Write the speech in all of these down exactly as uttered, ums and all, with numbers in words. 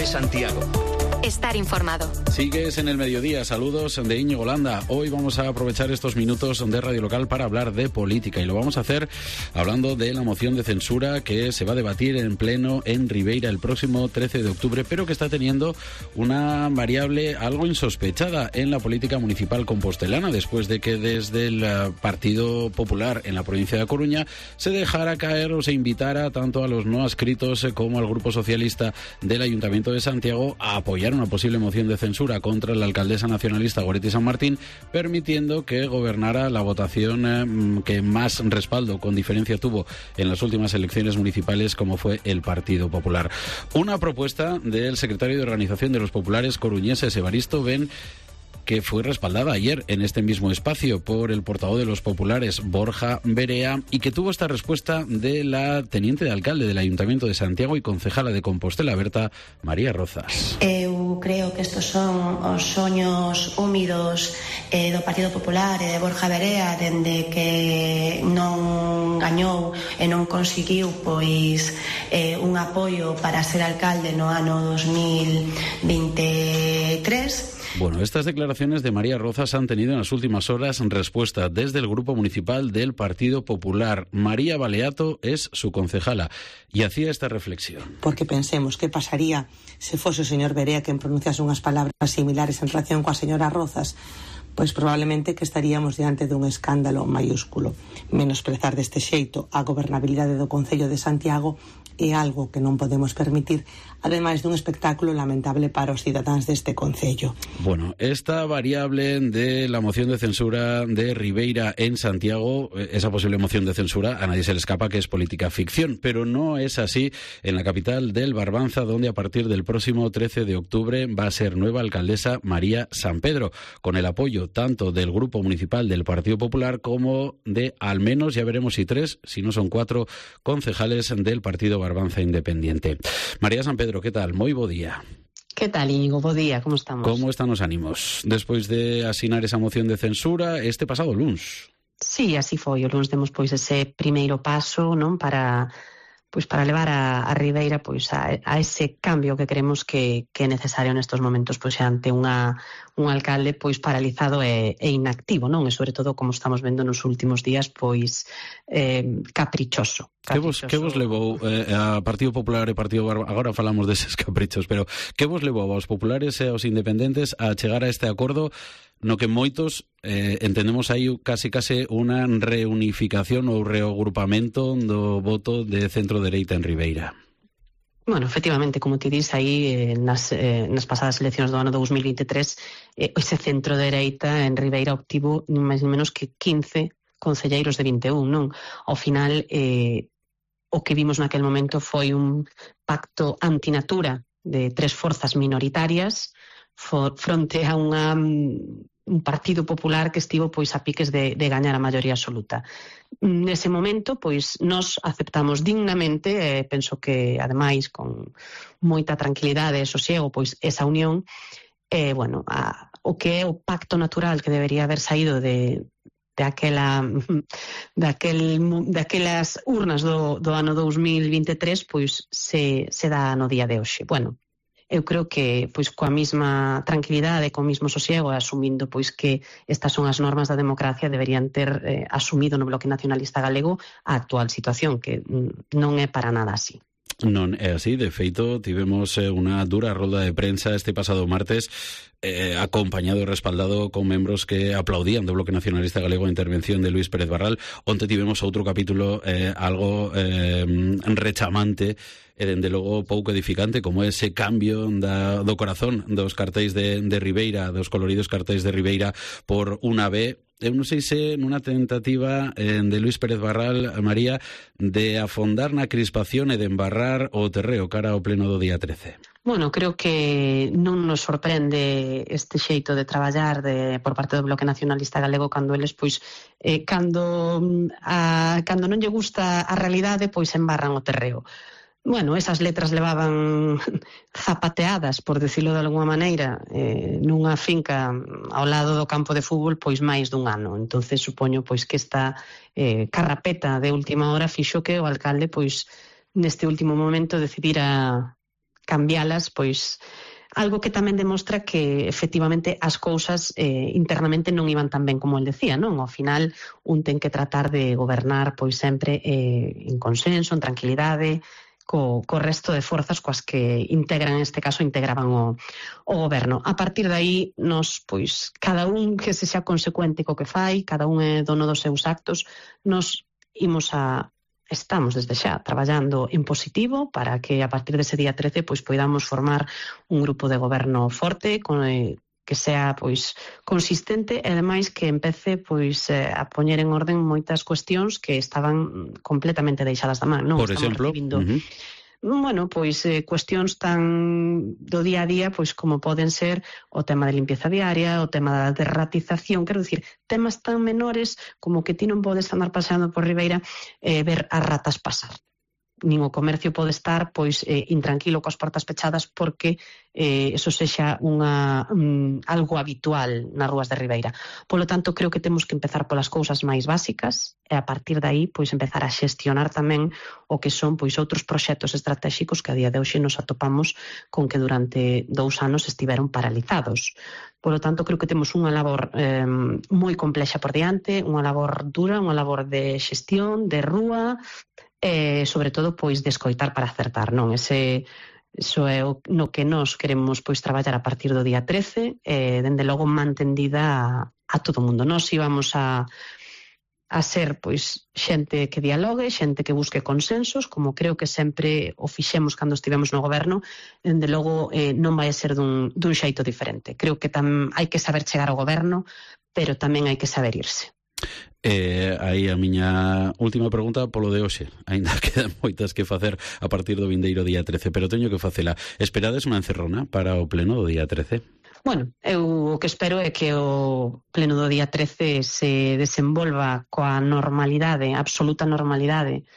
de Santiago. Estar informado. Sigues en el mediodía. Saludos de Íñigo Landa. Hoy vamos a aprovechar estos minutos de Radio Local para hablar de política y lo vamos a hacer hablando de la moción de censura que se va a debatir en pleno en Ribeira el próximo trece de octubre, pero que está teniendo una variable algo insospechada en la política municipal compostelana después de que desde el Partido Popular en la provincia de A Coruña se dejara caer o se invitara tanto a los no adscritos como al Grupo Socialista del Ayuntamiento de Santiago a apoyar una posible moción de censura contra la alcaldesa nacionalista Goretti San Martín, permitiendo que gobernara la votación eh, que más respaldo con diferencia tuvo en las últimas elecciones municipales, como fue el Partido Popular. Una propuesta del secretario de Organización de los Populares coruñeses, Evaristo Ben, que fue respaldada ayer en este mismo espacio por el portavoz de los populares, Borja Verea, y que tuvo esta respuesta de la teniente de alcalde del Ayuntamiento de Santiago y concejala de Compostela Berta, María Rozas. Eu creo que estos son os soños húmidos eh, do Partido Popular e de Borja Verea dende que non gañou e non conseguiu pois eh, un apoio para ser alcalde no ano dos mil veintitrés. Bueno, estas declaraciones de María Rozas han tenido en las últimas horas respuesta desde el Grupo Municipal del Partido Popular. María Baleato es su concejala y hacía esta reflexión. Porque pensemos que pasaría se fose o señor Verea quen pronunciase unhas palabras similares en relación coa señora Rozas, pois probablemente que estaríamos diante dun escándalo maiúsculo. Menosprezar deste xeito a gobernabilidade do Concello de Santiago é algo que non podemos permitir, ademais dun espectáculo lamentable para os cidadáns deste concello. Bueno, esta variable de la moción de censura de Ribeira en Santiago, esa posible moción de censura, a nadie se le escapa que es política ficción, pero no es así en la capital del Barbanza, donde a partir del próximo trece de octubre va a ser nueva alcaldesa María San Pedro, con el apoyo tanto del Grupo Municipal del Partido Popular como de al menos, ya veremos si tres, si no son cuatro, concejales del Partido Barbanza Independiente. María San Pedro, ¿qué tal? Moi bo día. ¿Qué tal, Íñigo? Bo día, como estamos? Como están os ánimos despois de asinar esa moción de censura este pasado luns? Sí, así foi. O luns demos pois ese primeiro paso, non, para pois para levar a, a Ribeira pois a, a ese cambio que creemos que, que é necesario nestes momentos pois ante unha un alcalde pois paralizado e, e inactivo, non? E sobre todo, como estamos vendo nos últimos días, pois eh, caprichoso. Que vos, que vos levou eh, a Partido Popular e Partido Barbanza, agora falamos deses caprichos, pero que vos levou aos populares e aos independentes a chegar a este acordo no que moitos eh, entendemos aí casi casi unha reunificación ou reagrupamento do voto de centro-dereita en Ribeira? Bueno, efectivamente, como ti dis, aí eh, nas, eh, nas pasadas eleccións do ano dous mil veintitrés eh, ese centro-dereita en Ribeira obtivo máis ou menos que quince concelleiros de vinte e un, non? Ao final, eh, o que vimos naquel momento foi un pacto antinatura de tres forzas minoritarias for, fronte a unha, un partido popular que estivo pois a piques de, de gañar a maioría absoluta. Nese momento, pois, nos aceptamos dignamente, e eh, penso que, ademais, con moita tranquilidade e sosiego, pois, esa unión, eh, bueno, a, o que é o pacto natural que debería haber saído de de aquela daquel, daquelas urnas do, do ano dous mil veintitrés, pois se, se dá no día de hoxe. Bueno, eu creo que pois coa mesma tranquilidade, co mesmo sosiego, asumindo pois que estas son as normas da democracia, deberían ter eh, asumido no Bloque Nacionalista Galego a actual situación, que non é para nada así. Non é así, de feito, tivemos eh, unha dura rolda de prensa este pasado martes, eh, acompañado e respaldado con membros que aplaudían do Bloque Nacionalista Galego a intervención de Luís Pérez Barral. Onte tivemos outro capítulo eh, algo eh, rechamante e, dende logo, pouco edificante, como ese cambio da, do corazón dos cartéis de, de Ribeira, dos coloridos cartéis de Ribeira por unha B. Eu non sei se nunha tentativa eh, de Luís Pérez Barral, María, de afondar na crispación e de embarrar o terreo cara ao pleno do día trece. Bueno, creo que non nos sorprende este xeito de traballar de, por parte do Bloque Nacionalista Galego cando eles, pois, eh, cando, a, cando non lle gusta a realidade, pois embarran o terreo. Bueno, esas letras levaban zapateadas, por decirlo de alguma maneira, eh, nunha finca ao lado do campo de fútbol, pois máis dun ano. Entonces supoño pois que esta eh, carrapeta de última hora fixo que o alcalde, pois neste último momento, decidira cambialas, pois algo que tamén demostra que efectivamente as cousas eh, internamente non iban tan ben como el decía, non? Ao final un ten que tratar de gobernar pois sempre eh, en consenso, en tranquilidade, co, co resto de forzas coas que integran, en este caso, integraban o, o goberno. A partir de aí, nos, pois, cada un que se xa consecuente co que fai, cada un é dono dos seus actos, nos imos a estamos desde xa traballando en positivo para que a partir dese día trece pois poidamos formar un grupo de goberno forte con, eh, que sea pois consistente e ademais que empece pois eh, a poñer en orden moitas cuestións que estaban completamente deixadas da man, non? Por Estamos exemplo, recibindo, uh-huh. bueno, pois eh, cuestións tan do día a día pois como poden ser o tema de limpieza diaria, o tema da derratización, quero dicir, temas tan menores como que ti non podes andar paseando por Ribeira e eh, ver as ratas pasar. Nin o comercio pode estar pois eh, intranquilo coas portas pechadas porque eh, eso sexa unha, um, algo habitual nas rúas de Ribeira. Polo tanto, creo que temos que empezar polas cousas máis básicas e a partir de aí pois empezar a xestionar tamén o que son pois outros proxectos estratégicos que a día de hoxe nos atopamos con que durante dous anos estiveron paralizados. Polo tanto, creo que temos unha labor eh, moi complexa por diante, unha labor dura, unha labor de xestión, de rúa, e, sobre todo, pois, de escoitar para acertar, non? Ese, iso é o, no que nós queremos, pois, traballar a partir do día trece, e, dende logo, mantendida a, a todo o mundo. Nós íbamos a, a ser, pois, xente que dialogue, xente que busque consensos, como creo que sempre o fixemos cando estivemos no goberno, dende logo, eh, non vai a ser dun, dun xeito diferente. Creo que tam, hai que saber chegar ao goberno, pero tamén hai que saber irse. Eh, aí a miña última pregunta polo de hoxe. Aínda quedan moitas que facer a partir do vindeiro día trece, pero teño que facela. Esperades unha encerrona para o pleno do día trece? Bueno, eu o que espero é que o pleno do día trece se desenvolva coa normalidade, absoluta normalidade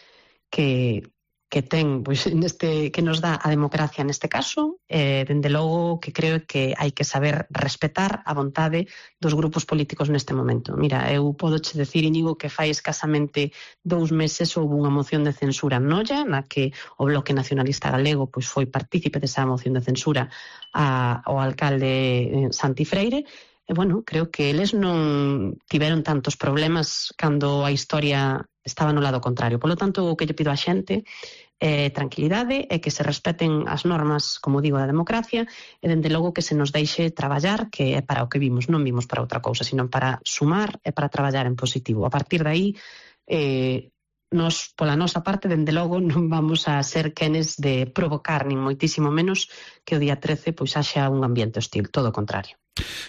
que que ten, pois, neste, que nos dá a democracia neste caso, eh, dende logo que creo que hai que saber respetar a vontade dos grupos políticos neste momento. Mira, eu podoche decir, Íñigo, que fai escasamente dous meses houve unha moción de censura en Noia, na que o Bloque Nacionalista Galego pois foi partícipe desa moción de censura a, ao alcalde Santi Freire. E, bueno, creo que eles non tiveron tantos problemas cando a historia estaba no lado contrario. Polo tanto, o que lle pido á xente é tranquilidade e que se respeten as normas, como digo, da democracia e, dende logo, que se nos deixe traballar, que é para o que vimos, non vimos para outra cousa, sino para sumar e para traballar en positivo. A partir de aí, eh, nos, pola nosa parte, dende logo, non vamos a ser quenes de provocar, nin moitísimo menos, que o día trece pois haxa un ambiente hostil, todo o contrario.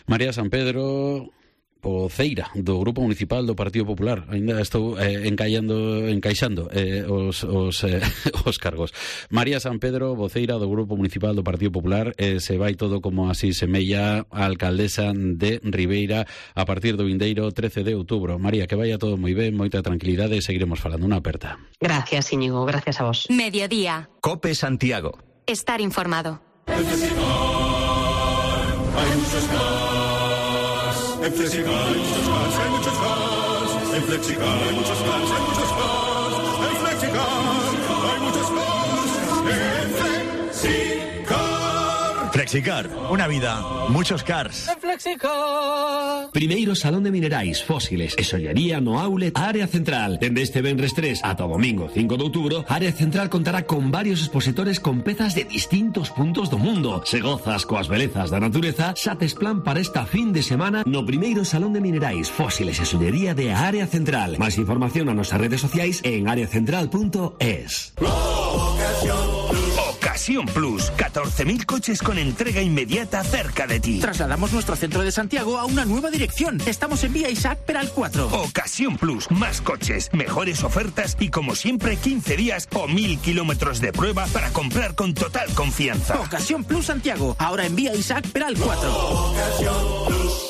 María San Pedro voceira do Grupo Municipal do Partido Popular. Ainda estou eh, encaixando, encaixando eh, os, os, eh, os cargos. María San Pedro, voceira do Grupo Municipal do Partido Popular, eh, se vai todo como así semella a alcaldesa de Ribeira a partir do vindeiro trece de outubro. María, que vaya todo moi ben, moita tranquilidade e seguiremos falando. Unha aperta. Gracias, Íñigo, gracias a vos. Mediodía. Cope Santiago. Estar informado. Hay muchos cars. En Flexicar hay muchos cars, hay muchos cars. En Flexicar hay muchos cars, hay muchos cars. En Flexicar hay muchos cars. En Flexicar. Flexicar, una vida, muchos cars. En Flexicar. Primeiro Salón de Minerais, Fósiles e Sollería no Outlet Área Central. Dende este venres tres ata o domingo cinco de outubro, Área Central contará con varios expositores con pezas de distintos puntos do mundo. Se gozas coas belezas da natureza, xa tes plan para esta fin de semana no primeiro Salón de Minerais, Fósiles e Sollería de Área Central. Máis información nas nosas redes sociais en área central punto es. Ocasión Plus, catorce mil coches con entrega inmediata cerca de ti. Trasladamos nuestro centro de Santiago a una nueva dirección. Estamos en Vía Isaac Peral cuatro. Ocasión Plus, más coches, mejores ofertas y, como siempre, quince días o mil kilómetros de prueba para comprar con total confianza. Ocasión Plus Santiago, ahora en Vía Isaac Peral cuatro. Ocasión Plus.